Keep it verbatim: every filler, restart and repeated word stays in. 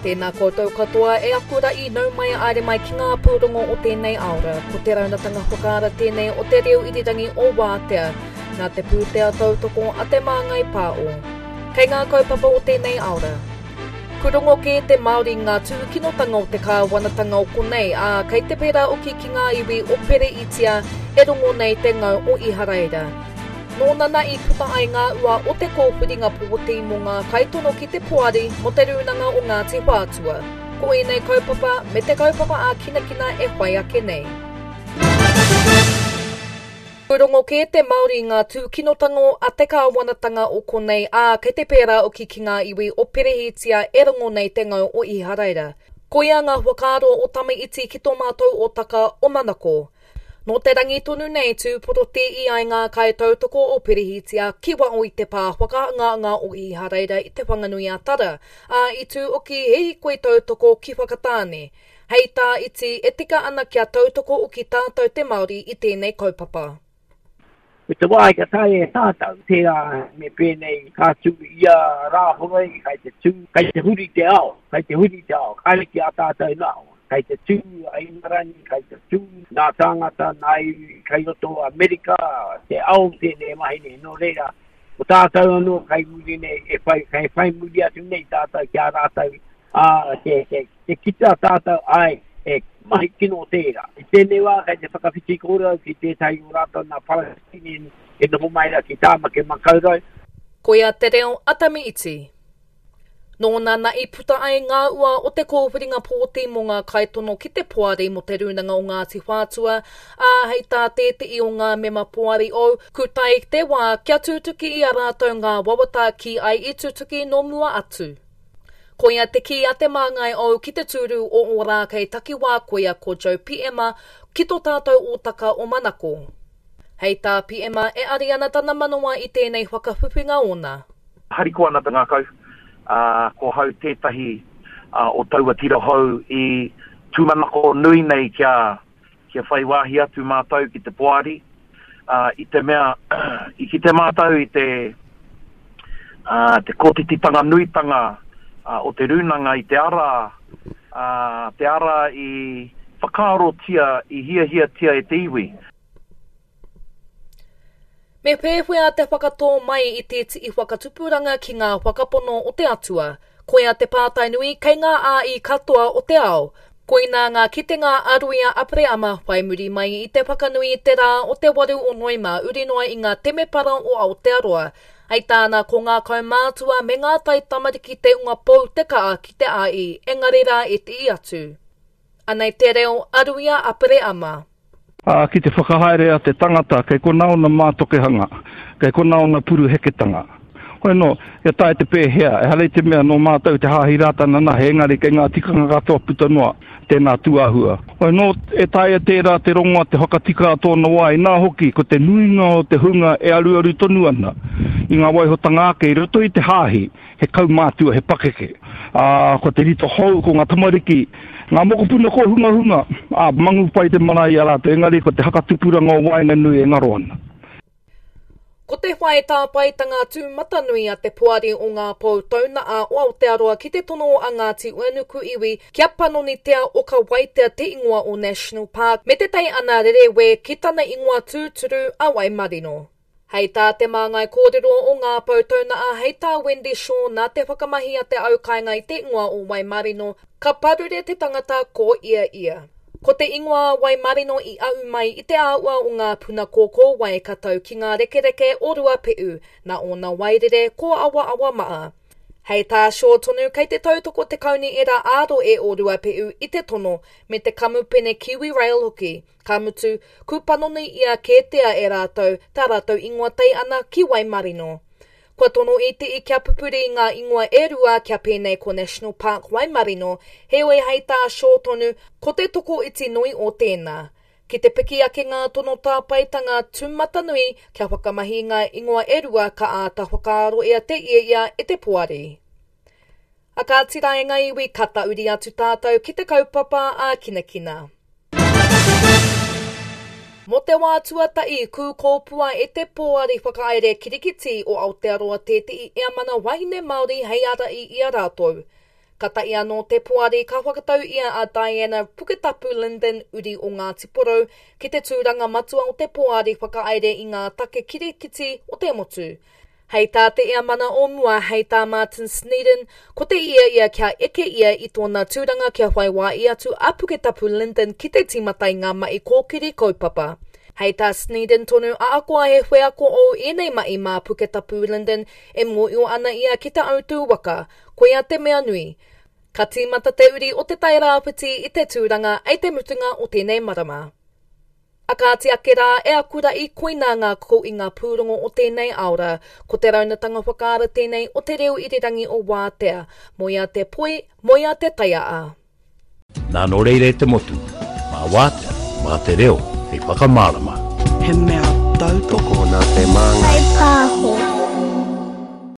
Tēnā koutou katoa e aku ra'i nau mai aere mai ki ngā pūrongo o tēnei aora. Ko te raunatanga whakaara tēnei o te reo irirangi o Wātea, nā te pūtea tautoko a te Māngai Pāo. Kei ngā kaupapa o tēnei aora. Kurongo kē te Māori ngā tūkinotanga o te kāwanatanga o konei, ā, kei te pērā oki ki ngā iwi o Pereitia e rongo nei te ngau o Iharaira. Nōnana i puta ai ngā ua o te kōwhiringa pōti mō ngā kaitono ki te poari mō te Rūnanga o Ngāti Whātua. Ko ēnei kaupapa me te kaupapa ā-kinakina e whai ake nei. Rongo kē te Māori ngā tūkinotanga a te kāwanatanga o konei, ā, kei te pērā oki ki ngā iwi o Perehitia e rongo nei te ngau o Iharaira. Koia ngā whakaaro o Tame Iti ki tō mātou ōtaka o Manako. Nō te rangi tonu nei tūporoti i ai ngā kaitautoko o Perehitia ki wao i te pā whakaangaanga o Iharaira i te Whanganui a Tara, ā, i tū oki he hikoi tautoko ki Whakatāne. Hei tā Iti, e tika ana kia tautoko oki tātou te Māori i tēnei kaupapa. Me te wā ka tae e tātou, tērā me pēnei ka tū ia rāhoroi, kai te tū, kai te huri te ao, kai te huri te ao, kāre ki a tātou nā. Kai te tū a Ingarangi, kai te tū nā tāngata, nā iwi, kai roto Amerika, te ao tēnei mahi nei, nō reira, ko tātou anō kai muri nei, e whai, kai whai muri atu nei tātou ki a rātou, ā, te, te, te kitea tātou, ai, e mahi kino tērā. I tēnei wā, kai te whakawhiti kōrero ki tētahi o rātou nā Palestinian e noho mai rā ki Tāmaki Makaurau. Koia te reo a Tame Iti. Nōnana i puta ai ngā ua o te kōwhiringa pōti mō ngā kaitono ki te poari mō te Rūnanga o Ngāti Whātua, ā, hei tā tētehi o ngā mema poari ou, kutai te wā kia tutuki i a rātou ngā wawata ki ai i tutuki nō mua atu. Koia te kī a te māngai ou ki te tūru o Ōrākei takiwā koia ko Joe Piema ki tō tātou ōtaka o Manako. Hei tā Piema e ari ana tana manawa i tēnei whakawhiwhinga ōna. Hariko ana te ngākau, uh, ko hau tētahi uh, o taua tira hou i tūmanako nui nei kia, kia whai wāhi atu mātou ki te poari, uh, i te mea, i ki te mātou i te, uh, te kōtititanga nuitanga uh, o te rūnanga i te ara, uh, te ara i whakaarotia, i hiahiatia e te iwi. Me pēwhea te whakatō mai i te tii whakatupuranga ki ngā whakapono o te atua. Koia te pātai nui kei ngā āi katoa o te ao. Koina ngā kitenga a Ruia Apreama whai muri mai i te whakanui i te rā o te waru o Noema uri noa i ngā temepara o Aotearoa. Hei tāna ko ngā kaumātua me ngā tai tamariki te unga pou te kaa ki te āi, engari rā e te i atu. Anei te reo a Ruia Apreama. Ā, ki te whakahaere a te tangata, kei kona ona mātokehanga, kei kona ona puruheketanga. Hoi no, ia tae te pēhea, e harei te mea nō mātou te hāhi Rātana nahe, engari kei ngā tikanga katoa puta noa, tēnā tūāhua. Hoi no, e taea tērā te rongoa te whakatika a tōna wā, inā hoki, ko te nuinga o te hunga e aruaru tonu ana i ngā waihotanga ake i roto i te hāhi, he kaumātua, he pakeke. Ā, ko te rito hou, ko ngā tamariki, ngā mokopuna kōhungahunga, ā, mangu pai te marae i a rātou, engari ko te hakatupuranga o waenganui e ngaro ana. Ko te whai tāpaetanga tūmatanui a te poari o ngā pou taunaa o Aotearoa ki te tono a Ngāti Uenuku iwi kia panonitea o ka waitea te ingoa o National Park me te tei ana rerewē ki tana ingoa tūturu a Waimarino. Hei tā te māngai kōrero o ngā pou taunaa hei tā Wendy Shaw nā te whakamahi a te aukainga i te ingoa o Waimarino, ka parure te tangata ko ia ia. Ko te ingoa Waimarino i au mai i te āua o ngā puna kōkō wai ka tau ki ngā rekereke o Ruape'u, nā ōna wairere ko awa awa maa. Hei tā Shaw tonu kei te tautoko te kauni era āro e o Ruape'u i te tono me te kamupene Kiwi Rail hoki. Ka mutu, kūpanoni ia kētea e rātou, tā rātou ingoa tei ana ki Waimarino. Kua tono i te i kia pupuri ngā ingoa e rua kia pēnei ko National Park Waimarino, heoi hei tā Shaw tonu, ko te toko iti nui o tēnā. Ki te piki ake ngā tono tāpaetanga tūmatanui kia whakamahi ngā ingoa e rua ka āta whakaaro ea te ia ia e te poari. A ka tira e ngā iwi ka tauri atu tātou ki te kaupapa a kinakina. Mō te wā tuatahi kūkōpua e te pōari whakaere kirikiti o Aotearoa tētehi eamana wahine Māori hei arai i a rātou. Katahi anō te poari ka whakatau ia a Diana Puketapu Lyndon uri o Ngāti Porou ki te tūranga matua o te poari whakahaere i ngā take kirikiti o te motu. Hei tā te Heamana o mua, hei tā Martin Snedden, ko te ia ia kia eke ia i tōna tūranga kia whai wāhi atu a Puketapu Lyndon ki te tīmata i ngā mahi kōkiri kaupapa. Hei tā Snedden tonu ahakoa he wheako o ēnei mahi mā Puketapu Lyndon e mōhio ana ia ki te autū waka, koia te mea nui. Ka tīmata te uri o te Tairāwhiti i te tūranga ei te mutunga o tēnei marama. A kāti ake rā e aku ra'i koinā ngā ko i ngā pūrongo o tēnei aora, ko te raunatanga whakaara tēnei o te reo irirangi o Wātea, moea te poi, moea te taiaa. Nā nō reira e te motu, mā Wātea, mā te reo, hei whakamārama. He mea tautoko Tokona te māngai. Whai pāho.